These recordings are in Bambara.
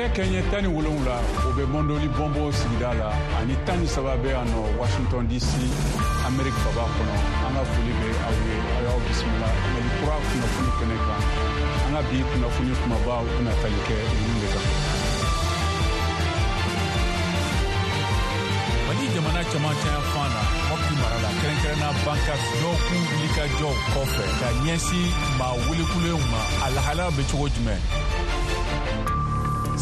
Nɛgɛ kɛɲɛ 17, o bɛ Mɔndoli Bɔnbɔ sigida la, ani 13 bɛ yan nɔ Washington DC, Amerique faba kɔnɔ. An ka foli bɛ aw ye, aw y'aw bisimila Mali Kura kunnafoni kɛnɛ kan. An ka bi kunnafoni kumabaw bɛna tali kɛ ninnu de kan. Mali jamana cɛmancɛ fan na, Mɔpti mara la, kɛrɛnkɛrɛnna Bankas, dɔgɔkun wulikajɔw kɔfɛ ka ɲɛsin maa welekulenw ma, a lahalaya bɛ cogo jumɛn?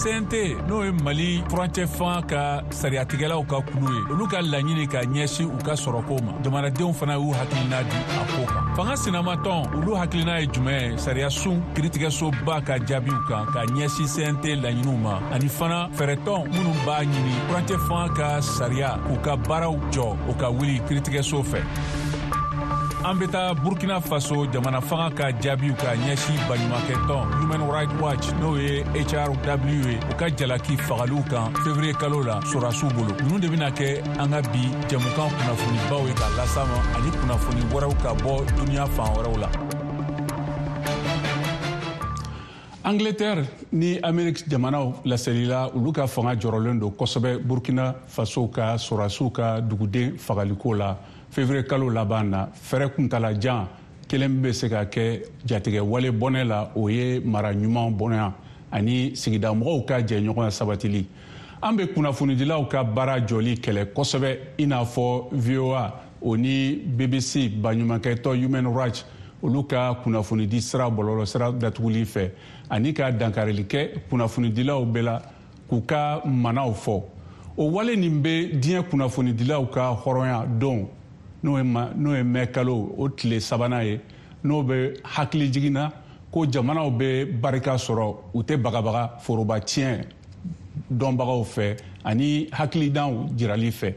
CNT, n'o ye Mali furancɛ fanga ka sariyatigɛlaw ka kulu ye, olu ka laɲini ka ɲɛsin u ka sɔrɔko ma, jamanadenw fana y'u hakilina di a ko kan. Fanga sinamatɔn, olu hakilina ye jumɛn ye sariyasun kiritigɛsoba ka jaabiw kan ka ɲɛsin CNT laɲiniw ma, ani fana fɛɛrɛtɔn minnu b'a ɲini furancɛ fanga ka sariya k'u ka baaraw jɔ, o ka wuli kiritigɛso fɛ? An bɛ taa Burkina Faso, jamana fanga ka jaabiw ka ɲɛsin baɲumankɛtɔn Human Rights Watch, n'o ye HRW ye, u ka jalaki fagaliw kan février kalo la sɔrɔdasiw bolo. Ninnu de bɛna kɛ an ka bi jɛmukan kunnafonibaw ye ka las'a ma, ani kunnafoni wɛrɛw ka bɔ duniya fan wɛrɛw la. Angleterre ni Amérique jamanaw laselila, olu ka fanga jɔrɔlen don kosɛbɛ Burkina Faso ka sɔrɔdasiw ka duguden fagaliko la février kalo laban na. Fɛɛrɛ kuntalajan kelen bɛ se ka kɛ jatigɛ wale bɔnɛ la, o ye mara ɲuman bɔnɛ ani sigidamɔgɔw ka jɛɲɔgɔnya sabatili. An bɛ kunnafonidilaw ka baara jɔli kɛlɛ kosɛbɛ, i n'a fɔ VOA, o ni BBC, baɲumankɛtɔ Human Rights, olu ka kunnafonidi sira, bɔlɔlɔ sira datuguli fɛ, ani ka dankarili kɛ kunnafonidilaw bɛɛ la k'u ka manaw fɔ. O wale nin bɛ diɲɛ kunnafonidilaw ka hɔrɔnya don, n'o ye mɛ kalo o tile sabanan ye, n'o bɛ hakili jiginna ko jamanaw bɛ barika sɔrɔ, u tɛ bagabaga foroba tiɲɛ dɔnbagaw fɛ ani hakilidanw jirali fɛ.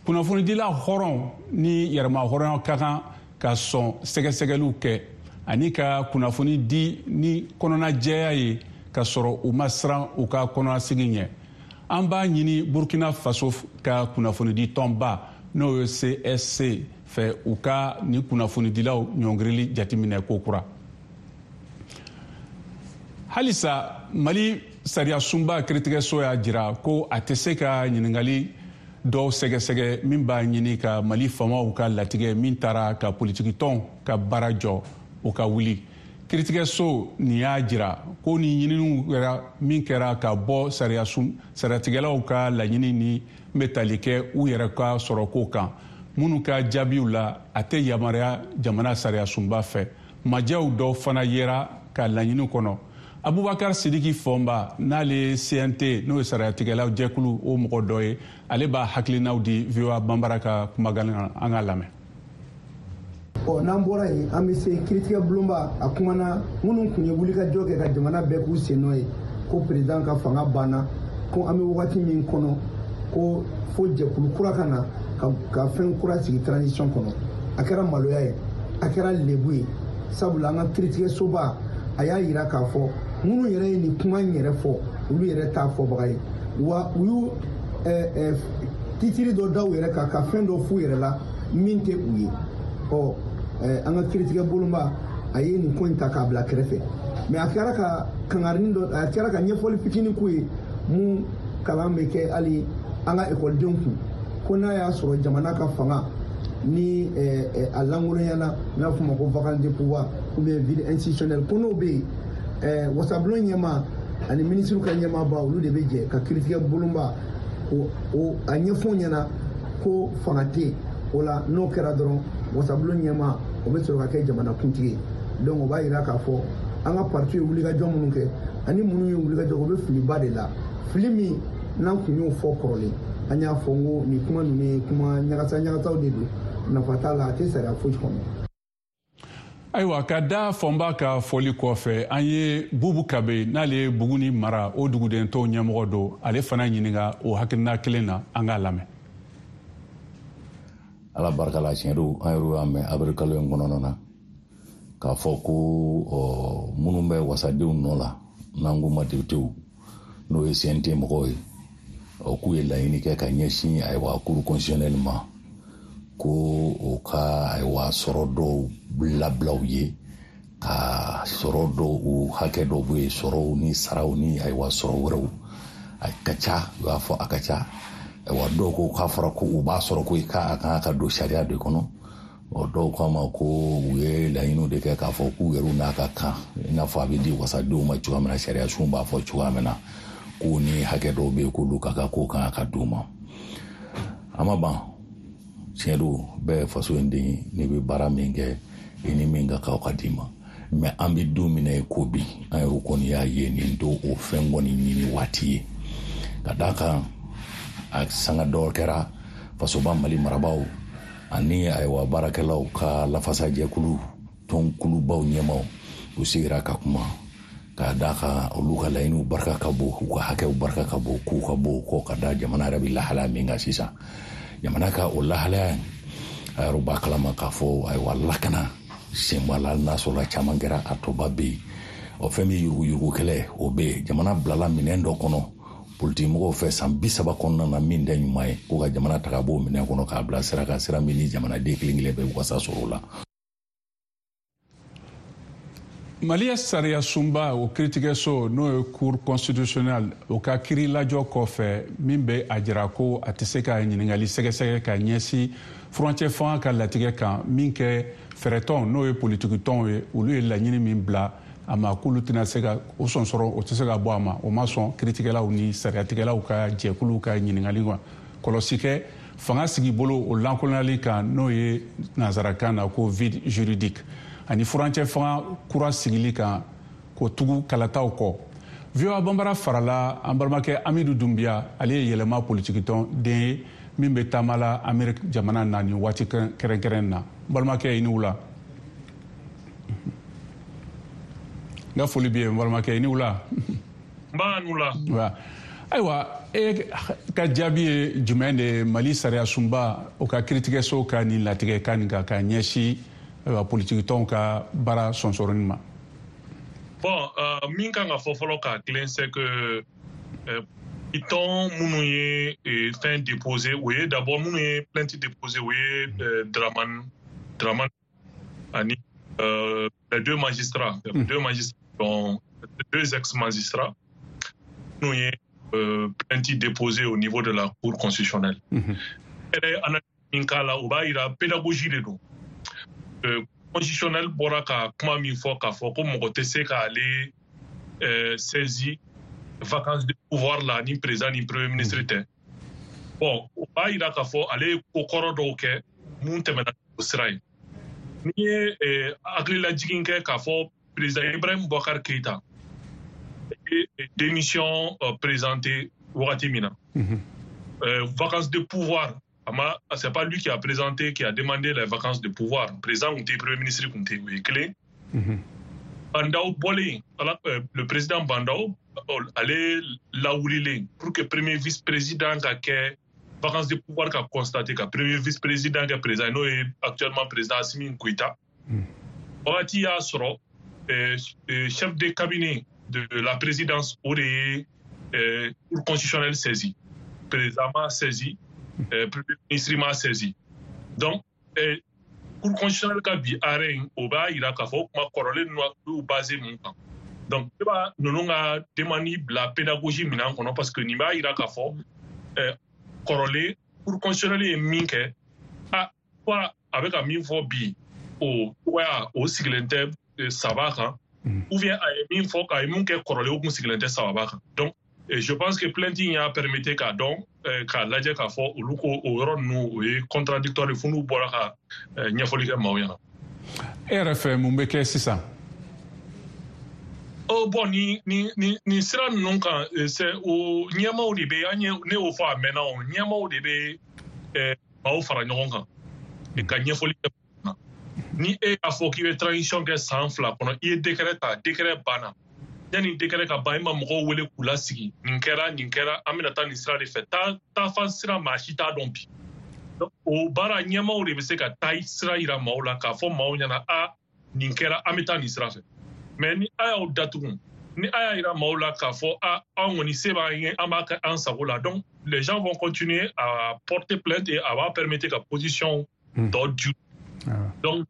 Kunnafonidila hɔrɔn ni yɛrɛma hɔrɔnya ka kan ka sɔn sɛgɛsɛgɛliw kɛ ani ka kunnafoni di ni kɔnɔnajɛya ye, ka sɔrɔ u ma siran u ka kɔnɔnasigi ɲɛ. An b'a ɲini Burkina Faso ka kunnafonidi tɔnba, n'o ye CSC fɛ, u ka nin kunnafonidilaw ɲɔngirili jateminɛ kokura. Halisa Mali sariyasunba kiritigɛso y'a jira ko a tɛ se ka ɲiningali dɔw sɛgɛsɛgɛ min b'a ɲini ka Mali faamaw ka latigɛ min taara ka politikitɔnw ka baara jɔ, o ka wuli. Kiritigɛso nin y'a jira ko ni ɲininiw kɛra min kɛra ka bɔ sariyatigɛlaw ka laɲini ni bɛ tali kɛ u yɛrɛ ka sɔrɔko kan, minnu ka jaabiw la, a tɛ yamaruya jamana sariyasunba fɛ. Majɛw dɔw fana yera ka laɲini kɔnɔ. Abubakar Sidiki Fɔnba, n'ale ye CNT, n'o ye sariyatigɛlaw jɛkulu, o mɔgɔ dɔ ye, ale b'a hakilinaw di VOA Banbara ka kumakan na. An k'a lamɛn. Ɔ, n'an bɔra yen, an bɛ se kiiritigɛ bulonba. A kumana minnu tun ye wulikajɔ kɛ ka jamana bɛɛ k'u sen nɔ ye ko président ka fanga banna, ko an bɛ wagati min kɔnɔ, ko fo jɛkulu kura ka na ka fɛn kura sigi transition kɔnɔ. A kɛra maloya ye, a kɛra lebu ye, sabula an ka kiiritigɛsoba a y'a yira k'a fɔ minnu yɛrɛ ye nin kuma in yɛrɛ fɔ, olu yɛrɛ t'a fɔbaga ye wa. U y'u titiri dɔ da u yɛrɛ kan ka fɛn dɔ f'u yɛrɛ la min tɛ u ye. Ɔ, an ka kiiritigɛ bolonba a ye nin ko in ta k'a bila kɛrɛfɛ, mɛ a kɛra ka kangarini dɔ, a kɛra ka ɲɛfɔli fitinin k'u ye mun kalan bɛ kɛ hali an ka ekɔlidenw kun, ko n'a y'a sɔrɔ jamana ka fanga ni a lankolonyana, n'a fɔ ma ko vacance de pouvoir ou bien vide institutionnel, ko n'o bɛ yen, wasabulon ɲɛmaa ani minisiriw ka ɲɛmaaba, olu de bɛ jɛ ka kiiritigɛ bolonba o a ɲɛfɔ ɲɛna ko fanga tɛ yen. O la, n'o kɛra dɔrɔn, wasabulon ɲɛmaa o bɛ sɔrɔ ka kɛ jamana kuntigi ye. Donc o b'a yira k'a fɔ an ka parti ye wulikajɔ minnu kɛ ani minnu ye wulikajɔ, o bɛ filiba de la, fili min n'an kun y'o fɔ kɔrɔlen. An y'a fɔ n ko nin kuma ninnu ye kuma ɲagasa ɲagasaw de don, nafa t'a la, a tɛ sariya foyi kɔnɔ. Ayiwa, ka da Fɔnba ka fɔli kɔfɛ, an ye Bubu Kabe, n'ale ye Buguni mara o duguden tɔw ɲɛmɔgɔ don, ale fana ɲininka o hakilina kelen na. An k'a lamɛn. Ala barika la, tiɲɛ don, an yɛrɛ y'a mɛn avril kalo in kɔnɔna na k'a fɔ ko minnu bɛ wasadenw nɔ la, n'an k'u ma députéw, n'o ye CNT mɔgɔw ye, k'u ye laɲini kɛ ka ɲɛsin, ayiwa, cour constitutionnelle ma, ko o ka, ayiwa, sɔrɔ dɔw labila u ye, ka sɔrɔ dɔw, u hakɛ dɔw bɛ yen, sɔrɔw ni saraw ni, ayiwa, sɔrɔ wɛrɛw. A ka ca, u y'a fɔ a ka ca. Wa dɔw ko k'a fɔra ko u b'a sɔrɔ ko k'a kan ka don sariya de kɔnɔ. Dɔw k'a ma ko u ye laɲiniw de kɛ k'a fɔ k'u yɛrɛw n'a ka kan, i n'a fɔ a bɛ di wasadenw ma cogoya min na, sariya sun b'a fɔ cogoya min na, k'u ni hakɛ dɔw bɛ yen k'olu ka kan k'o kan ka d'u ma. A ma ban, tiɲɛ don, bɛɛ ye faso in den ye, n'i bɛ baara min kɛ i ni min ka kan o ka d'i ma. Mɛ an bɛ don min na i ko bi, an yɛrɛ kɔni y'a ye nin don o fɛn kɔni ɲini waati ye. Ka d'a kan a sanga dɔ kɛra fasoba Mali marabaaw ani ayiwa baarakɛlaw ka lafasajɛkulu tɔnkulubaw ɲɛmaw, u sigira ka kuma k'a d'a kan olu ka laɲiniw barika ka bon, u ka hakɛw barika ka bon, k'u ka bon kɔ ka da jamana yɛrɛ bɛ lahalaya min kan sisan. Jamana ka o lahalaya a yɛrɛ b'a kalama k'a fɔ ayiwa lakana senbala n'a sɔrɔla caman kɛra, a tɔba bɛ yen. O fɛn min yuruguyurugu kɛlɛ o bɛ yen. Jamana bilala minɛn dɔ kɔnɔ politikimɔgɔw fɛ san 30 kɔnɔna na min tɛ ɲuman ye, ko ka jamana ta ka bɔ o minɛn kɔnɔ k'a bila sira kan, sira min ni jamanaden kelen kelen bɛɛ wasa sɔrɔ o la. Mali sariya sunba o kiiritigɛso, n'o ye Cour constitutionnelle, o ka kiiri lajɔ kɔfɛ min bɛ a jira ko a tɛ se ka ɲininkali sɛgɛsɛgɛ ka ɲɛsin furancɛ fanga ka latigɛ kan min kɛ fɛɛrɛtɔn, n'o ye politikitɔnw ye, olu ye laɲini min bila a ma k'olu tɛna se ka o sɔnsɔrɔ, o tɛ se ka bɔ a ma. O ma sɔn kiiritigɛlaw ni sariyatigɛlaw ka jɛkuluw ka ɲininkali kan. Kɔlɔsi kɛ fanga sigibolo o lankolonyali kan, n'o ye nansarakan na ko vide juridique, ani furancɛ fanga kura sigili kan k'o tugu kalataw kɔ. VOA Banbara farala an balimakɛ Amidu Dunbiya, ale ye Yɛlɛma politikitɔn den ye min bɛ taama la Amerique jamana na nin waati kɛrɛnkɛrɛn na. N balimakɛ, i ni wula. N ka foli b'i ye n balimakɛ, i ni wula. N b'a ni wula. Ayiwa, e ka jaabi ye jumɛn de ye Mali sariya sunba o ka kiiritigɛso ka nin latigɛ kan nin kan ka ɲɛsin ayiwa politikitɔnw ka baara sɔnsɔrɔni ma? Bon, min kan ka fɔ fɔlɔ k'a tilen, c'est que tɔn minnu ye fɛn déposé, o ye d'abord minnu ye plainte déposé, o ye Dramane ani les deux magistrats, deux magistrats, dont deux ex-magistrats, minnu ye plainte déposée au niveau de la Cour constitutionnelle. Yɛrɛ min k'a la, o b'a yira pédagogie de don. Constitutionnel bɔra ka kuma min fɔ k'a fɔ ko mɔgɔ tɛ se k'ale saisi vacance de pouvoir la ni président ni premier ministre tɛ. Bon, o b'a yira k'a fɔ ale ye ko kɔrɔ dɔw kɛ mun tɛmɛna o sira ye. N'i ye hakililajigin kɛ k'a fɔ président Ibrahim Boubacar Keïta ye démission présentée wagati min na, vacance de pouvoir, c'est pas lui qui a présenté, qui a demandé les vacances de pouvoir. Président kun tɛ, premier ministre kun tɛ, o ye kelen. Bah N'Daw bɔlen, le président Bah N'Daw, ale lawulilen pour que premier vice-président ka kɛ vacance de pouvoir ka constater ka premier vice-président kɛ président, n'o ye actuellement président Assimi Goïta. Wagati y'a sɔrɔ chef de cabinet de la présidence, o de ye Cour constitutionnelle saisi. Président ma saisi, premier ministre ma saisi. Donc Cour constitutionnelle ka bi arrêt in, o b'a yira k'a fɔ o kuma kɔrɔlen ninnu y'u basé mun kan. Donc ne b'a ninnu ka demande bila pédagogie minɛn kɔnɔ, parce que nin b'a yira k'a fɔ kɔrɔlen Cour constitutionnelle ye min kɛ, a soit a bɛ ka min fɔ bi, o cogoya o sigilen tɛ saba kan, ou bien a ye min fɔ, a ye mun kɛ kɔrɔlen, o kun sigilen tɛ sababa kan. Donc je pense que plainte in y'a permettre k'a dɔn, k'a lajɛ k'a fɔ olu ko o yɔrɔ ninnu o ye contradictoire, fo n'u bɔra ka ɲɛfɔli kɛ maaw ɲɛna. E yɛrɛ fɛ, mun bɛ kɛ sisan? Oh, bon, ni sira ninnu kan, c'est o ɲɛmaaw de bɛ an ye, ne y'o fɔ a mɛnna, o ɲɛmaaw de bɛ maaw fara ɲɔgɔn kan ka ɲɛfɔli kɛ. Ni e y'a fɔ k'i bɛ transition kɛ san 2 kɔnɔ, i ye décret ta, décret banna. Yanni décret ka ban, i ma mɔgɔw wele k'u lasigi, nin kɛra, nin kɛra, an bɛna taa nin sira de fɛ. Taafan sira, maa si t'a dɔn bi. O baara ɲɛmaaw de bɛ se ka taa sira yira maaw la k'a fɔ maaw ɲɛna, a nin kɛra, an bɛ taa nin sira fɛ. Mais ni a y'aw datugu, ni a y'a yira maaw la k'a fɔ a anw kɔni se b'an ye, an b'a kɛ an sago la, donc les gens vont continuer à porter plainte et a b'a permettre ka position tɔ du. Donc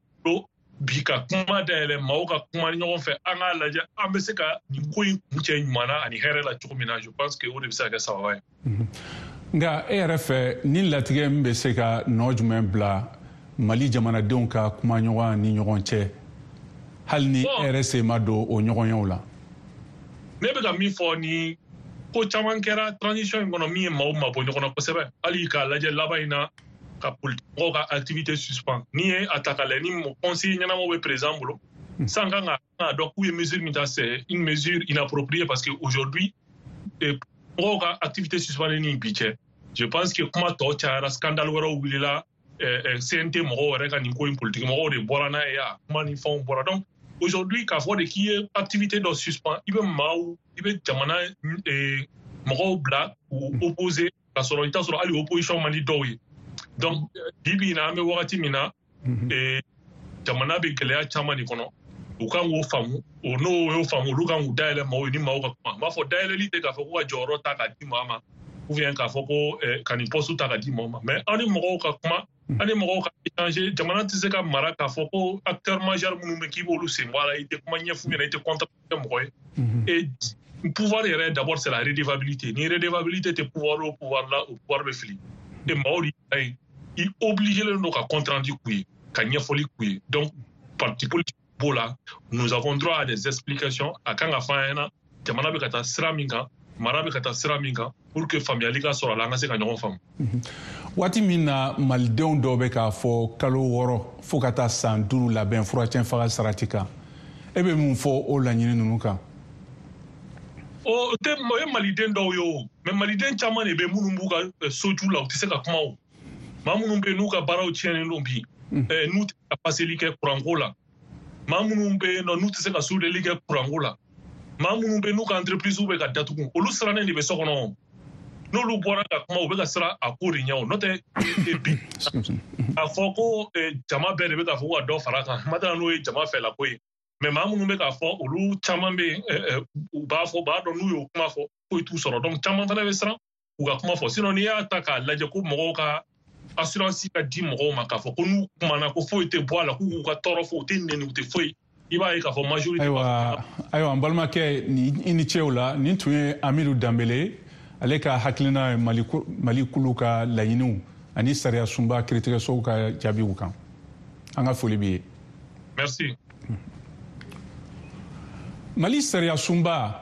Bi ka kuma dayɛlɛ, maaw ka kuma ɲɔgɔn fɛ, an k'a lajɛ an bɛ se ka nin ko in kuncɛ ɲuman na ani hɛrɛ la cogo min na, je pense que o de bɛ se ka kɛ sababa ye. Nka e yɛrɛ fɛ, ni latigɛ min bɛ se ka nɔ jumɛn bila Mali jamanadenw ka kumaɲɔgɔnya ni ɲɔgɔn cɛ, hali ni e yɛrɛ sen ma don o ɲɔgɔnyew la? Ne bɛ ka min fɔ, ni ko caman kɛra transition in kɔnɔ min ye maaw mabɔ ɲɔgɔn na kosɛbɛ. Hali k'a lajɛ laban in na, ka politique mɔgɔw ka activité suspend. N'i ye a ta k'a lajɛ, ni conseiller ɲɛnamaw bɛ président bolo san, kan ka dɔn k'u ye mesure min ta, c'est une mesure inappropriée, parce que aujourd'hui, mɔgɔw ka activité suspendue ni bi cɛ, je pense que kuma tɔ cayara, scandale wɛrɛw wulila, CNT mɔgɔw yɛrɛ ka nin ko in, politique mɔgɔw de bɔra n'a ye, a kuma ni fɛnw bɔra. Donc aujourd'hui, k'a fɔ de k'i ye activité dɔ suspend, i bɛ maaw, i bɛ jamana mɔgɔw bila k'u opposer, k'a sɔrɔ i t'a sɔrɔ hali opposition man di dɔw ye. Donc bi bi in na, an bɛ wagati min na, jamana bɛ gɛlɛya caman de kɔnɔ. U kan k'o faamu, o n'o y'o faamu, olu kan k'u dayɛlɛ maaw ye ni maaw ka kuma. N b'a fɔ, dayɛlɛli tɛ k'a fɔ ko ka jɔyɔrɔ ta k'a di maa ma, ou bien k'a fɔ ko ka nin poste ta k'a di maaw ma, mais aw ni mɔgɔw ka kuma, aw ni mɔgɔw ka échanger. Jamana tɛ se ka mara k'a fɔ ko acteur majeur minnu bɛ, k'i b'olu sen bɔ a la, i tɛ kuma ɲɛf'u ɲɛna, i tɛ contre kɛ mɔgɔ ye. Et pouvoir yɛrɛ, d'abord, c'est la redevabilité. Ni redevabilité tɛ pouvoir o pouvoir la, o pouvoir bɛ fili. Et maaw de y'a ye, i obligé len don ka compte rendu k'u ye, ka ɲɛfɔli k'u ye. Donc parti politique b'o la, nous avons droit à des explications. A kan ka fɔ an ɲɛna jamana bɛ ka taa sira min kan, mara bɛ ka taa sira min kan, pour que faamuyali ka sɔrɔ a la, an ka se ka ɲɔgɔn faamu. Waati min na malidenw dɔw bɛ k'a fɔ kalo 6 fo ka taa san 5 labɛn furacɛ faga sarati kan, e bɛ mun fɔ o laɲini ninnu kan? O tɛ, o ye maliden dɔw ye o, mais maliden caman de bɛ minnu b'u ka soju la, u tɛ se ka kuma. O maa minnu bɛ yen n'u ka baaraw tiɲɛnen don bi, n'u tɛ se ka paseli kɛ kuranko la, maa minnu bɛ yen nɔ n'u tɛ se ka soudeli kɛ kuranko la, maa minnu bɛ yen n'u ka entreprise bɛ ka datugu, olu sirannen de bɛ so kɔnɔ. N'olu bɔra ka kuma, u bɛ ka siran a ko de ɲɛ. O n'o tɛ, bi k'a fɔ ko jama bɛɛ de bɛ k'a fɔ ko ka dɔ fara a kan, ma n'o ye jama fɛlako ye. Mais maa minnu bɛ k'a fɔ, olu caman bɛ yen, u b'a fɔ, u b'a dɔn n'u y'o kuma fɔ, foyi t'u sɔrɔ. Donc caman fana bɛ siran u ka kuma fɔ. Sinon, n'i y'a ta k'a lajɛ ko mɔgɔw ka assurance ka di mɔgɔw ma k'a fɔ ko n'u kumana ko foyi tɛ bɔ a la, k'u k'u ka tɔɔrɔ fɔ, u tɛ nɛni, u tɛ foyi, i b'a ye k'a fɔ majorité. Ayiwa, n balimakɛ, i ni ce o la. Nin tun ye Amidu Danbele, ale ka hakilina ye Mali kulu ka laɲiniw ani sariya sunba kiiritigɛsow ka jaabiw kan. An ka foli b'i ye. Merci. Mali sariya sunba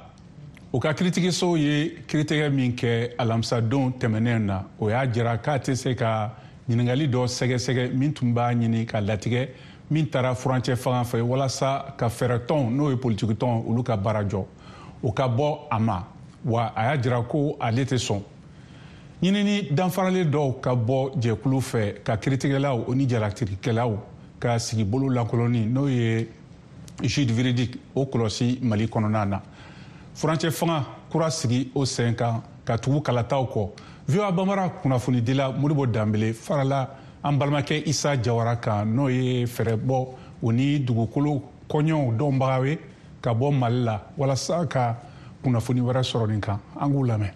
o ka kiiritigɛsow ye kiiritigɛ min kɛ alamisadon tɛmɛnen na, o y'a jira k'a tɛ se ka ɲininkali dɔ sɛgɛsɛgɛ min tun b'a ɲini ka latigɛ min taara furancɛ fanga fɛ walasa ka fɛɛrɛtɔn, n'o ye politikitɔn, olu ka baara jɔ, o ka bɔ a ma. Wa a y'a jira ko ale tɛ sɔn ɲinini danfaralen dɔw ka bɔ jɛkulu fɛ ka kiiritigɛlaw o ni jalatigikɛlaw ka sigibolo lankolonni, n'o ye guide juridique, o kɔlɔsi Mali kɔnɔna na, furancɛ fanga kura sigi o sen kan ka tugu kalataw kɔ. VOA Bambara kunnafonidila Modibo Danbele farala an balimakɛ Isa Jawara kan, n'o ye fɛɛrɛbɔ o ni dugukolo kɔɲɔw dɔnbaga ye ka bɔ Mali la, walasa ka kunnafoni wɛrɛ sɔrɔ nin kan. An k'u lamɛn.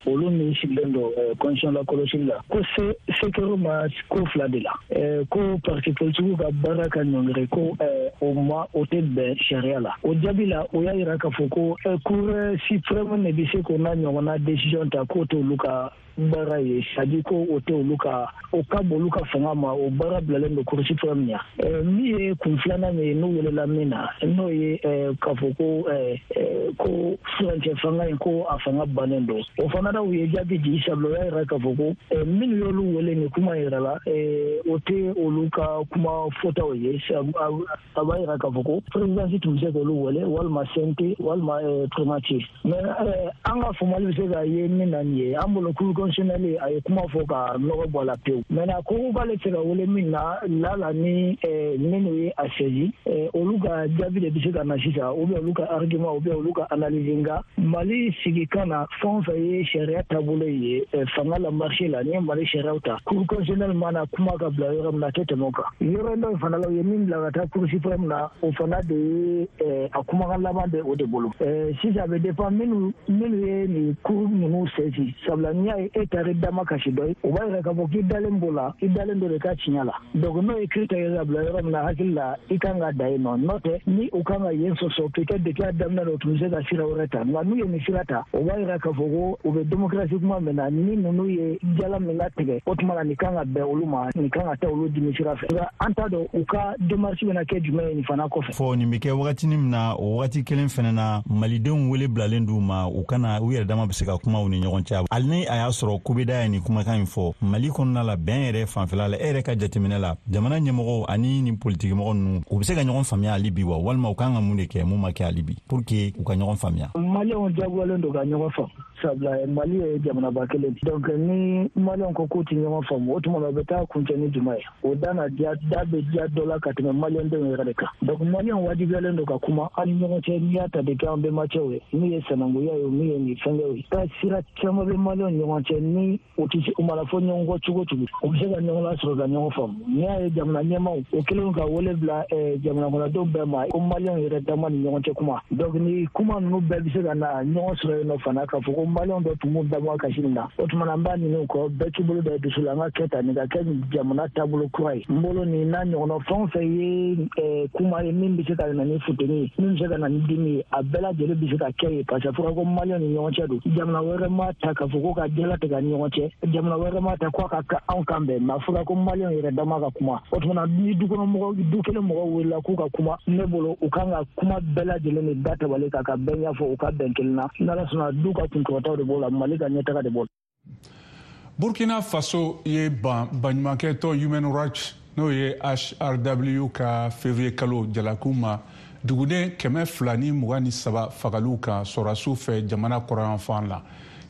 Olu min sigilen don constitution la kɔlɔsili la, ko se se ma ko fila de la, ko parti politique ka baara ka ɲɔngiri, ko o ma o tɛ bɛn sariya la. O jaabi la, o y'a yira k'a fɔ ko Cour suprême de bɛ se k'o n'a ɲɔgɔnna décision ta, k'o t'olu ka baara ye, c'est à dire ko o tɛ olu ka, o ka bon olu ka fanga ma, o baara bilalen don Cour suprême ɲɛ. Min ye kun filanan ye, n'u welela min na, n'o ye k'a fɔ ko furancɛ fanga in, ko a fanga bannen don, o fana na, u ye jaabi di, sabula o y'a yira k'a fɔ ko minnu y'olu wele nin kuma yɛrɛ la, o tɛ olu ka kuma fɔtaw ye. A b'a yira k'a fɔ ko présidence tun bɛ se k'olu wele, walima CNT, walima primature. Mais an ka faamuyali bɛ se ka ye min na nin ye, an bolo, Cour constitutionnelle a ye kuma fɔ ka nɔgɔ bɔ a la pewu. Maintenant, ko k'ale tɛ se ka wele min na la ni minnu ye a saisi, olu ka jaabi de bɛ se ka na sisan, ou bien olu ka argument, ou bien olu ka analyse. Nka Mali sigi kan na, fɛn o fɛn ye sariya taabolo ye fanga la, marché la, n'i ye Mali sariyaw ta, Cour constitutionnelle mana kuma ka bila yɔrɔ min na, a tɛ tɛmɛ o kan. Yɔrɔ dɔ in fana la, u ye min bila ka taa Cour suprême na, o fana de ye a kumakan laban bɛ o de bolo. Sisan, a bɛ dépend minnu ye nin cour ninnu saisi, sabula n'i y'a ye e taara i damakasi dɔ ye, o b'a yira k'a fɔ k'i dalen b'o la, i dalen don de ka tiɲɛ la. Donc n'o ye kiiri tigɛ ka bila yɔrɔ min na, hakili la i kan ka da yen nɔ. N'o tɛ, ni u kan ka yen sɔsɔ, peut-être depuis a daminɛ la, u tun bɛ se ka sira wɛrɛ ta. Nka n'u ye nin sira ta, o b'a yira k'a fɔ ko u bɛ démocratie kuma min na, ni ninnu ye jala min latigɛ, o tuma la nin kan ka bɛn olu ma, nin kan ka taa olu dimi sira fɛ. Nka an t'a dɔn u ka démarche bɛna kɛ jumɛn ye nin fana kɔfɛ. Fɔ nin bɛ kɛ wagatinin min na, o wagati kelen fɛnɛ na, malidenw wele bilalen d'u ma, u kana u yɛrɛ dama bɛ se ka kuma u ni ɲɔgɔn cɛ. Hali ni a y'a sɔrɔ kubeda ye nin kumakan in fɔ Mali kɔnɔna la, bɛn yɛrɛ fanfɛla la, e yɛrɛ ka jateminɛ la, jamana ɲɛmɔgɔw ani nin politikimɔgɔ ninnu, u bɛ se ka ɲɔgɔn faamuya hali bi wa, walima u kan ka mun de kɛ mun ma kɛ hali bi pour que u ka ɲɔgɔn faamuya? Maliyɛnw jagoyalen don ka ɲɔgɔn faamu, sabula Mali ye jamanaba kelen. Donc ni maliyɛnw ko k'u tɛ ɲɔgɔn faamu, o tuma na u bɛ taa kuncɛ ni jumɛn ye? O da na diya, da bɛ diya dɔ la ka tɛmɛ maliyɛndenw yɛrɛ de kan. Donc maliyɛnw wajibiyalen don ka kuma an ni ɲɔgɔn cɛ. N'i y'a ta depuis an bɛnbacɛw ye, min ye sanankunya ye, min ye nin fɛnkɛw ye, taa sira caman bɛ maliyɛnw ɲɔgɔn cɛ. Ni u tɛ se, u mana fɔ ɲɔgɔn kɔ cogo cogo, u bɛ se ka ɲɔgɔn lasɔrɔ ka ɲɔgɔn faamu. N'i y'a ye jamana ɲɛmaaw o kɛlen ka wele bila jamana kɔnɔdenw bɛɛ ma ko maliyɛnw yɛrɛ dama ni ɲɔgɔn cɛ kuma, donc ni kuma ninnu bɛɛ bɛ se ka na ɲɔgɔn sɔrɔ yen nɔ fana, k'a fɔ ko maliyɛnw dɔ tun b'u damakasi nin na, o tuma na an b'a ɲini u kɔ, bɛɛ k'i bolo da dusu la, an ka kɛ tan, nin ka kɛ jamana taabolo kura ye. N bolo nin n'a ɲɔgɔnna fɛn o fɛn ye kuma ye min bɛ se ka na ni funteni ye, min bɛ se ka na ni dimi ye, a bɛɛ lajɛlen bɛ se ka kɛ ye, parce que a fɔra ko maliyɛnw ni ɲɔgɔn cɛ don. Jamana wɛrɛ ma ta k'a fɔ ko ka jalatigɛ ni ɲɔgɔn cɛ, jamana wɛrɛ ma ta ko a ka anw kan bɛn, mais a fɔra ko maliyɛnw yɛrɛ dama ka kuma. O tuma na ni du kɔnɔ mɔgɔ, du kelen mɔgɔw wulila k'u ka kuma, ne bolo u kan ka kuma bɛɛ lajɛlen de da tabali kan ka bɛɛ ɲɛfɔ, u ka bɛn kelen na. N'Ala sɔnna, du ka kunkɔrɔtaw de b'o la, Mali ka ɲɛtaga de b'o la. Burkina Faso ye ban baɲumankɛ tɔn Human Rights, n'o ye HRW, ka février kalo jalakiw ma duguden 223 fagaliw kan sɔrɔdasiw fɛ jamana kɔrɔyanfan la.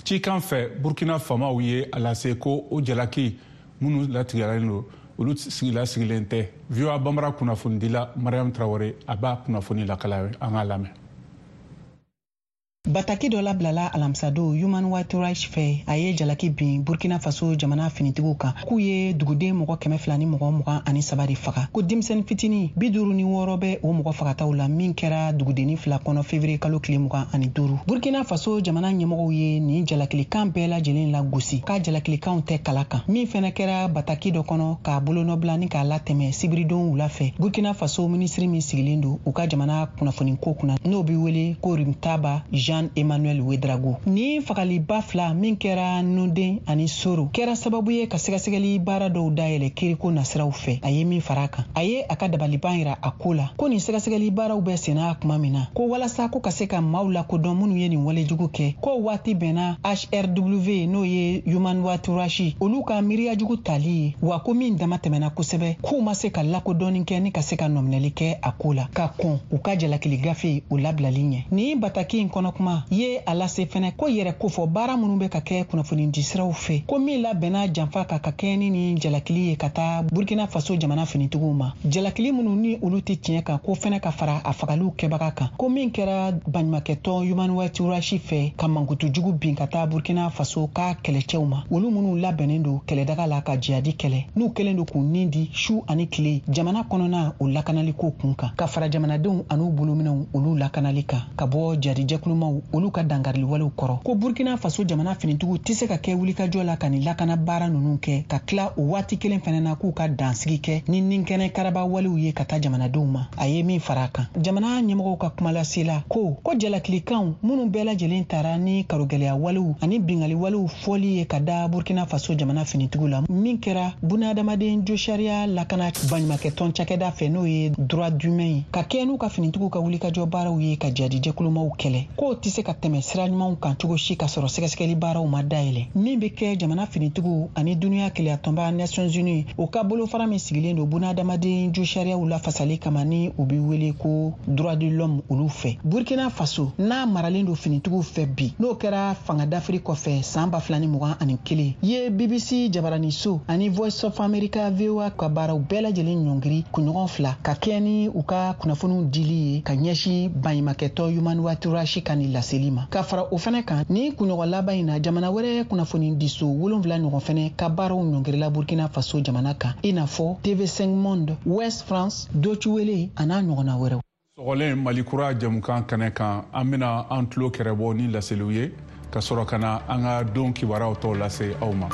Cikan fɛ, Burkina faamaw ye a lase ko o jalaki minnu latigɛlen don, olu sigila sigilen tɛ. VOA Bambara kunnafonidila Mariam Traoré, a b'a kunnafoni lakala, an k'a lamɛn. Bataki dɔ labilala alamisadon Human Rights Watch fɛ, a ye jalaki bin Burkina Faso jamana finitigiw kan k'u ye duguden mɔgɔ 223 de faga, ko denmisɛni fitini 56 bɛ o mɔgɔ fagataw la, min kɛra dugudenni fila kɔnɔ février kalo tile 25. Burkina Faso jamana ɲɛmɔgɔw ye nin jalakilikan bɛɛ lajɛlen la gosi, k'a jalakilikanw tɛ kala kan. Min fɛnɛ kɛra bataki dɔ kɔnɔ k'a bolonɔbila ni k'a latɛmɛ sibiridon wula fɛ, Burkina Faso minisiri min sigilen don u ka jamana kunnafoniko kunna, n'o be wele ko Rimtaba Jean Emmanuel Ouedraogo, ni fagaliba fila min kɛra Noden ani Soro kɛra sababu ye ka sɛgɛsɛgɛli baara dɔw dayɛlɛ kiriko nasiraw fɛ. A ye min fara a kan, a ye a ka dabaliban yira a ko la ko nin sɛgɛsɛgɛli baaraw bɛ senna kuma min na, ko walasa ko ka se ka maaw lakodɔn minnu ye nin walejugu kɛ, ko waati bɛnna HRW, n'o ye Human Rights Watch, olu ka miiriyajugu tali ye wa, ko min dama tɛmɛna kosɛbɛ, k'u ma se ka lakodɔnni kɛ ni ka se ka nɔminɛli kɛ a ko la ka kɔn u ka jalakili gafe o labilali ɲɛ. Nin bataki in kɔnɔ kuma ye a lase fɛnɛ ko yɛrɛ kofɔ baara minnu bɛ ka kɛ kunnafonidisiraw fɛ, ko min labɛnna janfa ka ka kɛ ni nin jalakili ye ka taa Burkina Faso jamana finitigiw ma, jalakili minnu ni olu tɛ tiɲɛ kan, ko fɛnɛ ka fara a fagaliw kɛbaga kan, ko min kɛra baɲumakɛtɔn Human Rights Watch fɛ ka mankutu jugu bin ka taa Burkina Faso ka kɛlɛcɛw ma, olu minnu labɛnnen don kɛlɛdaga la ka jihadi kɛlɛ, n'u kɛlen don k'u nin di su ani tile jamana kɔnɔna o lakanaliko kun kan, ka fara jamanadenw an'u bolominɛw olu lakanali kan ka bɔ jadijɛkulumaw olu ka dankariliwalew kɔrɔ, ko Burkina Faso jamana finitigiw tɛ se ka kɛ wulikajɔ la ka nin lakana baara ninnu kɛ, ka tila o waati kelen fɛnɛ na k'u ka dansigi kɛ ni ninkɛnɛ karaba walew ye ka taa jamanadenw ma. A ye min fara a kan, jamana ɲɛmɔgɔw ka kumalasela ko ko jalakilikanw minnu bɛɛ lajɛlen tara ni karogɛlɛya walew ani bingali walew fɔli ye ka da Burkina Faso jamana finitigiw la, min kɛra bunadamaden josariya lakana baɲumakɛtɔn cakɛda fɛ, n'o ye droit d'humain ye, ka kɛ n'u ka finitigiw ka wulikajɔ baaraw ye ka jadijɛkulumaw kɛlɛ, k'o tɛ se ka tɛmɛ sira ɲumanw kan cogo si ka sɔrɔ sɛgɛsɛgɛli baaraw ma dayɛlɛ min bɛ kɛ jamana finitigiw ani duniya keleyatɔnba Nations Unies, o ka bolofara min sigilen don bunadamaden josariyaw lafasali kama, ni u bɛ wele ko droit de l'homme, olu fɛ. Burkina Faso n'a maralen don finitigiw fɛ bi, n'o kɛra fanga dafiri kɔfɛ san 2021, ye BBC jabaraniso ani Voice of America, VOA, ka baaraw bɛɛ lajɛlen ɲɔngiri kunɲɔgɔn 2 ka kɛ ni u ka kunnafoniw dili ye ka ɲɛsin baɲumakɛtɔ Human Rights Watch ka nin laseli ma. Ka fara o fɛnɛ kan, ni kunɲɔgɔn laban in na, jamana wɛrɛ kunnafoni diso 7 ɲɔgɔn fɛnɛ ka baaraw ɲɔngirila Burkina Faso jamana kan, i n'a fɔ TV5 Monde, Ouest France, Deutsche Welle a n'a ɲɔgɔnna wɛrɛw. Sɔgɔlen Mali Kura jɛmukan kɛnɛ kan, an bena an tulo kɛrɛbɔ ni laseliw ye. Ka sɔrɔ ka na an ka don kibaruyaw tɔw lase aw ma.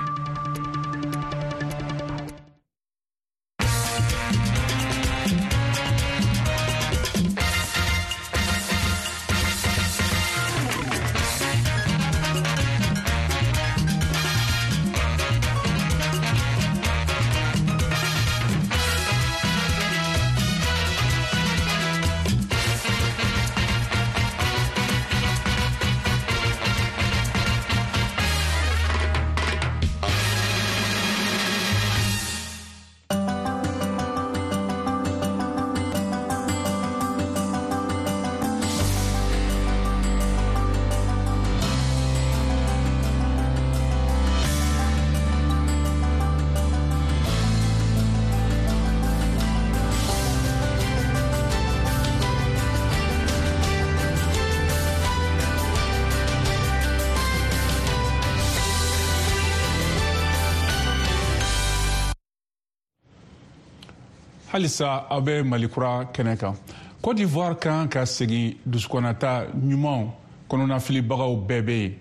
Halisa aw bɛ Malikura kɛnɛ kan. Côte d'Ivoire kan ka segin dusukɔnata ɲumanw kɔnɔnafilibagaw bɛɛ bɛ yen,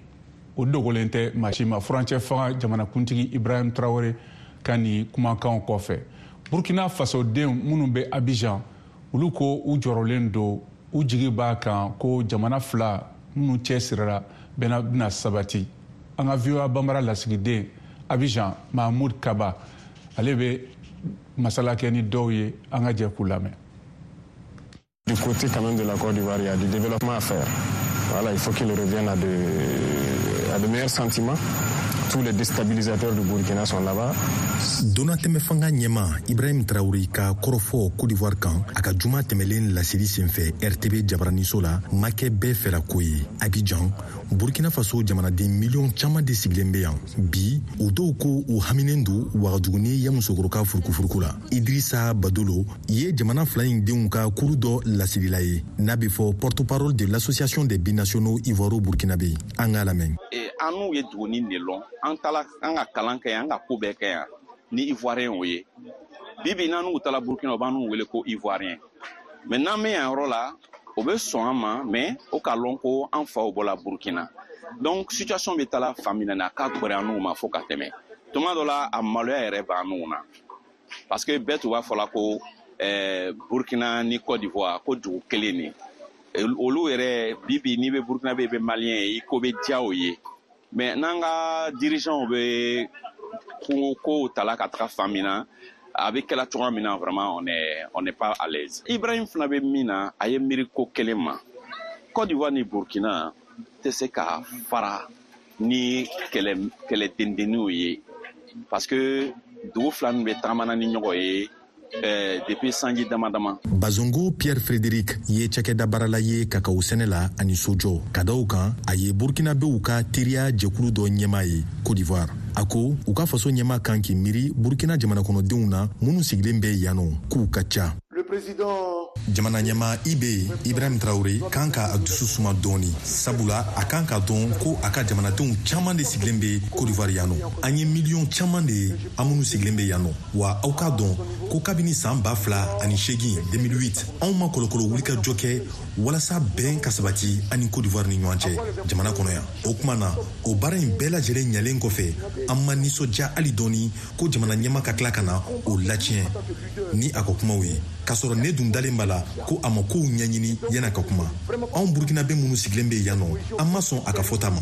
o dogolen tɛ maa si ma. Furancɛ fanga jamanakuntigi Ibrahim Traoré ka nin kumakanw kɔfɛ, Burkina fasodenw minnu bɛ Abidjan, olu ko u jɔrɔlen don, u jigi b'a kan ko jamana fila minnu cɛ sirila bɛna sabati. An ka VOA Bambara lasigiden Abidjan, Mahmoud Kaba, ale bɛ masala kɛ ni dɔw ye. An ka jɛ k'u lamɛn. Du côté quand même de la Côte d'Ivoire, il y a du développement à faire. Voilà, il faut qu'il revienne à de meilleurs sentiments. Tous les déstabilisateurs du Burkina sont là-bas. Donatɛmɛ fanga ɲɛma Ibrahim Traoré ka kɔrɔfɔ Côte d'Ivoire kan, a ka juma tɛmɛlen laseli senfɛ RTB jabaraniso la, ma kɛ bɛɛ fɛla ko ye. Abidjan, Burkina Faso jamanaden miliyɔn caman de sigilen bɛ yan bi. O dɔw ko u haminen don Wagadugu ni Yamusokoro ka furukufuruku la. Idrissa Badolo ye jamana fila in denw ka kuru dɔ laselila ye, n'a bɛ fɔ porte-parole de l'Association des binationaux ivoiro-burkinabé. An k'a lamɛn. An n'u ye duguni de lɔn. An taala an ka kalan kɛ yan, an ka ko bɛɛ kɛ yan ni Ivoirien o ye. Bi bi n'an n'u taala Burkina, u b'an n'u wele ko Ivoirien. Mais n'an bɛ yan yɔrɔ la, o bɛ sɔn an ma, mais o k'a lɔn ko an faw bɔla Burkina. Donc situation bɛ taala fan min na, a ka gbɛrɛ an n'u ma fo ka tɛmɛ. Tuma dɔ la, a maloya yɛrɛ b'an n'u na, parce que bɛɛ tun b'a fɔ la ko Burkina ni Côte d'Ivoire ko dugu kelen de. Olu yɛrɛ, bi bi n'i bɛ Burkina bɛ, i bɛ Malien ye, i ko bɛ diya o ye. Mais n'an ka dirigeants bɛ ko kow tala ka taga fan min na, a bɛ kɛla cogoya min na, vraiment on est pas à l'aise. Ibrahim fana bɛ min na, a ye miiri ko kelen ma. Côte d'Ivoire ni Burkina tɛ se ka fara ni kɛlɛ kɛlɛ dendenninw ye, parce que dugu fila nin bɛ tagamana ni ɲɔgɔn ye depuis sanji dama dama. Bazongo Pierre Frédéric ye cakɛda baarala ye kakaw sɛnɛ la ani sojɔ. Ka da o kan, a ye Burkinabew ka teriya jɛkulu dɔ ɲɛma ye Côte d'Ivoire. A ko u ka faso ɲɛma kan k'i miiri Burkina jamana kɔnɔdenw na minnu sigilen bɛ yan nɔ, k'u ka ca. Jamana ɲɛma Ib Ibrahim Traoré kan ka a dusu suma dɔɔni, sabula a kan ka dɔn ko a ka jamanadenw caman de sigilen bɛ Côte d'Ivoire yan nɔ. An ye miliyɔn caman de ye, an minnu sigilen bɛ yan nɔ. Wa aw k'a dɔn ko kabini saan 2008, 2008, anw ma kɔlɔkɔlɔ wulikajɔ kɛ walasa bɛn ka sabati an ni Côte d'Ivoire ni ɲɔgɔn cɛ jamana kɔnɔ yan. O kuma na, o baara in bɛɛ lajɛlen ɲalen kɔfɛ, an ma nisɔndiya hali dɔɔni ko jamana ɲɛma ka tila ka na o latiɲɛ ni a ka kumaw ye, k'a sɔrɔ ne dun dalen b'a la ko a ma kow ɲɛɲini yan'a ka kuma. Anw Burkinabɛ minnu sigilen bɛ yan nɔ, an ma sɔn a ka fɔta ma.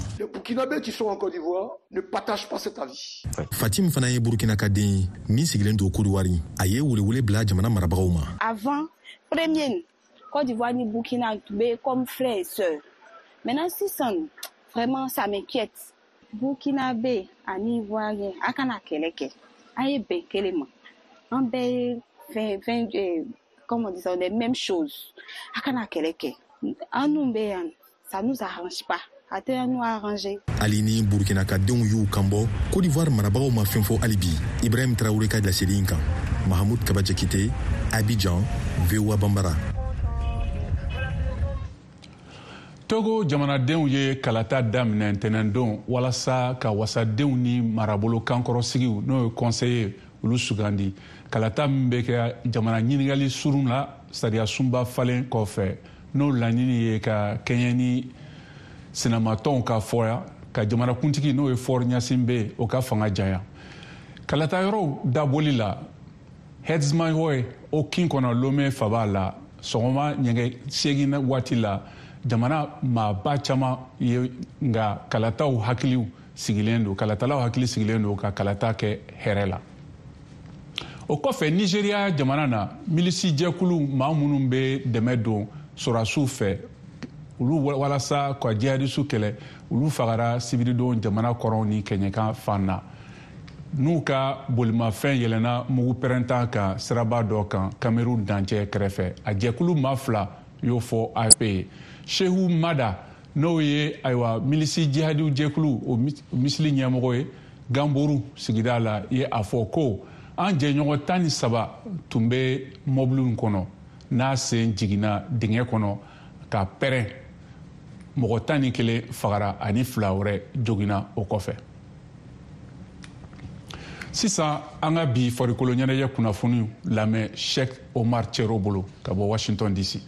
Fatim fana ye Burkina ka den ye min sigilen don Kodiwari. A ye welewele bila jamana marabagaw ma. Avant, premier, Côte d'Ivoire ni Burkina tun bɛ comme frère et sœur. Maintenant sisan, vraiment, ça m'inquiète. Burkinabé ani Ivoirien, a kana kɛlɛ kɛ, an ye bɛn kelen ma, an bɛɛ ye fɛn fɛn, comment on dit ça, les mêmes choses. A kana kɛlɛ kɛ. An n'u bɛ yan, ça nous arrange pas, a tɛ nous arranger. Hali ni Burkina ka denw y'u kanbɔ, Côte d'Ivoire marabagaw ma fɛn fɔ hali bi Ibrahim Traoré ka laseli in kan. Mahamud Kaba Jakite, Abidjan, VOA Bambara. Togo jamanadenw ye kalata daminɛ ntɛnɛndon walasa ka wasadenw ni marabolo kankɔrɔsigiw, n'o ye conseiller, olu sugandi. Kalata min bɛ kɛ jamana ɲininkali surun la sariya sunba falen kɔfɛ, n'o laɲini ye ka kɛɲɛ ni sinamatɔnw ka fɔya. ka jamanakuntigi n'o ye Faure Gnassingbé o ka fanga janya. Kalata yɔrɔw dabɔli la Herdsmanhoe o kin kɔnɔ Lome faba la sɔgɔma ɲɛgɛ 8 waati la, jamana maaba caman ye, nka kalataw hakiliw sigilen don, kalatalaw hakili sigilen don ka kalata kɛ hɛrɛ la. O kɔfɛ, Nigeriya jamana na, milisi jɛkulu maa minnu bɛ dɛmɛ don sɔrɔdasiw fɛ olu walasa ka jihadisu kɛlɛ, olu fagara sibiridon jamana kɔrɔn ni kɛɲɛka fan na, n'u ka bolimafɛn yɛlɛnna mugu pɛrɛntan kan siraba dɔ kan Cameroun dancɛ kɛrɛfɛ. A jɛkulu maa fila y'o fɔ AFP ye. Shehu Mada, n'o ye ayiwa milisi jihadiw jɛkulu o misili ɲɛmɔgɔ ye Gamboru sigida la, ye a fɔ ko an jɛɲɔgɔn 13 tun bɛ mɔbili in kɔnɔ n'a sen jiginna dingɛ kɔnɔ ka pɛrɛn. Mɔgɔ 11 fagara ani fila wɛrɛ joginna o kɔfɛ. Sisan, an ka bi farikolo ɲɛnajɛ kunnafoniw lamɛn Sheikh Omar Cero bolo ka bɔ Washington DC.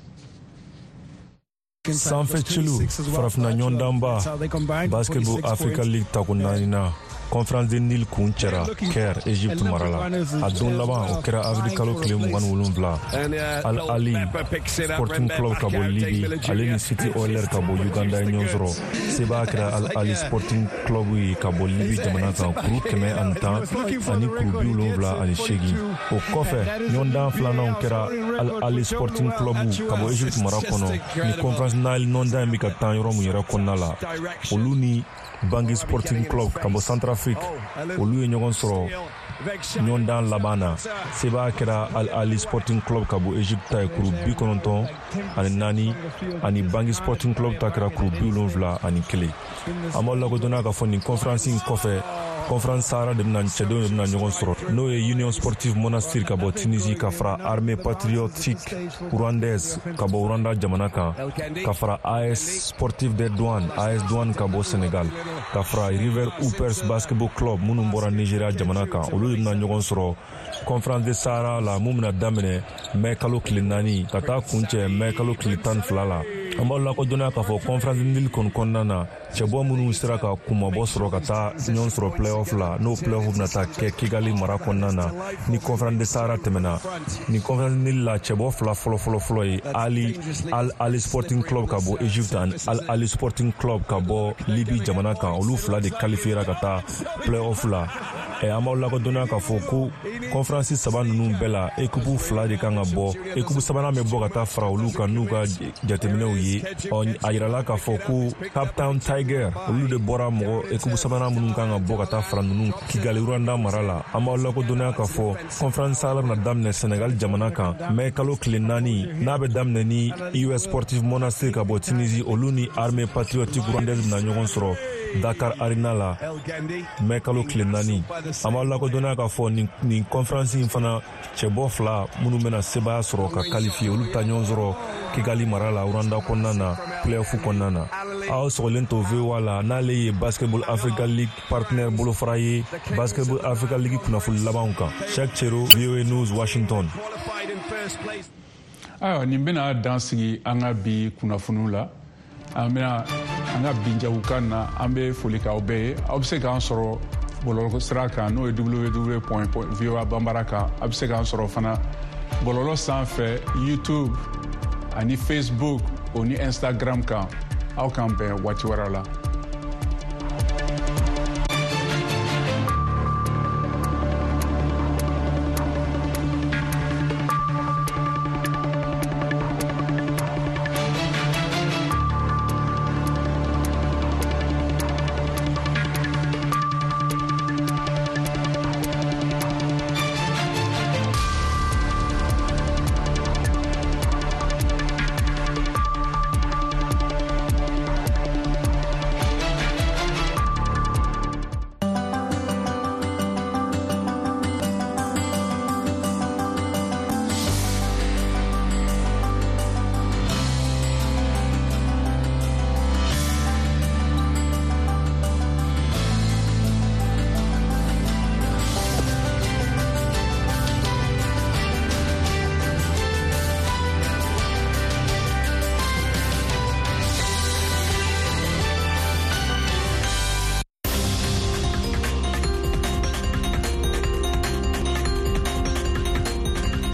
Sanfɛ celu farafina ɲɔgɔndanba Basketball Africa League tako naaninan Conférence de Nil kun cɛra Caire, Egypte mara la. A don laban, o kɛra avril kalo tile 27. Al Ali Sporting Club ka bɔ Libi, ale ni City Oilers ka bɔ Uganda ye ɲɔgɔn sɔrɔ. Sebaya kɛra Al Ali Sporting Club ye ka bɔ Libi jamana kan, kuru 110 ani kuru 78. O kɔfɛ, ɲɔgɔndan filananw kɛra Al Ali Sporting Club ka bɔ Egypte mara kɔnɔ, ni Conférence Nile ɲɔgɔndan in bɛ ka tan yɔrɔ mun yɛrɛ kɔnɔna la, olu ni Bangui Sporting Club ka bɔ Centrafrique, olu ye ɲɔgɔn sɔrɔ ɲɔgɔndan laban na. Sebaya kɛra Al Ali Sporting Club ka bɔ Egypte ta ye, kuru 94, ani Bangui Sporting Club ta kɛra kuru 71. An b'aw lakodɔnna k'a fɔ nin conférence in kɔfɛ, Conférence Sahara de bɛna, cɛdenw de bɛna ɲɔgɔn sɔrɔ, n'o ye Union Sportive Monastir ka bɔ Tunisie, ka fara Armée Patriotique Rwandaise ka bɔ Rwanda jamana kan, ka fara AS Sportive des Douanes, AS Douane ka bɔ Sénégal, ka fara River Hoopers Basketball Club minnu bɔra Nigeria jamana kan. Olu de bɛna ɲɔgɔn sɔrɔ Conférence de Sahara la, mun bɛna daminɛ mɛ kalo tile 4 ka taa kuncɛ mɛ kalo tile 12 la. An b'aw lakodɔnniya k'a fɔ Conférence Nil kɔni kɔnɔna na, cɛbɔ minnu sera ka kunmabɔ sɔrɔ ka taa ɲɔgɔn sɔrɔ playoff la, n'o playoff bɛna taa kɛ Kigali mara kɔnɔna na ni Conférence de Sahara tɛmɛna. Ni Conférence Nil la, cɛbɔ fila fɔlɔ fɔlɔ fɔlɔ ye Ali Al Ali Sporting Club ka bɔ Egypte ani Al Ali Sporting Club ka bɔ Libi jamana kan, olu fila de qualifiera ka taa playoff la. An b'aw lakodɔnniya k'a fɔ ko conférence saba ninnu bɛɛ la, équipe fila de kan ka bɔ, équipe sabanan bɛ bɔ ka taa fara olu kan n'u ka jateminɛw ye. Ɔ, a yirala k'a fɔ ko Cape Town Tiger, olu de bɔra mɔgɔ équipe sabanan minnu kan ka bɔ ka taa fara ninnu Kigali, Rwanda mara la. An b'aw lakodɔnniya k'a fɔ Conférence Sahara bɛna daminɛ Senegal jamana kan mɛ kalo tile 4, n'a bɛ daminɛ ni US Sportive Monastir ka bɔ Tunisie, olu ni Armée Patriotique Rwandaise bɛna ɲɔgɔn sɔrɔ Dakar Arena la mɛ kalo tile 4. An b'aw lakodɔnniya k'a fɔ nin conférence in fana, cɛbɔ fila minnu bɛna sebaya sɔrɔ ka qualifier, olu bɛ taa ɲɔgɔn sɔrɔ Kigali mara la, Rwanda kɔnɔna na, playoff kɔnɔna na. Aw sɔgɔlen to VOA la, n'ale ye Basketball Africa League partenaire bolofara ye, Basketball Africa League kunnafoni labanw kan. Cheikh Chero, VOA News, Washington. Ayiwa, nin bɛna dan sigi an ka bi kunnafoniw la. An bɛna an ka bi jagokan na. An bɛ foli k'aw bɛɛ ye. Aw bɛ se k'an sɔrɔ bɔlɔlɔ sira kan, n'o ye www.voa bambara kan. A bɛ se k'an sɔrɔ fana bɔlɔlɔ sanfɛ, YouTube ani Facebook o ni Instagram kan. Aw k'an bɛn waati wɛrɛ la.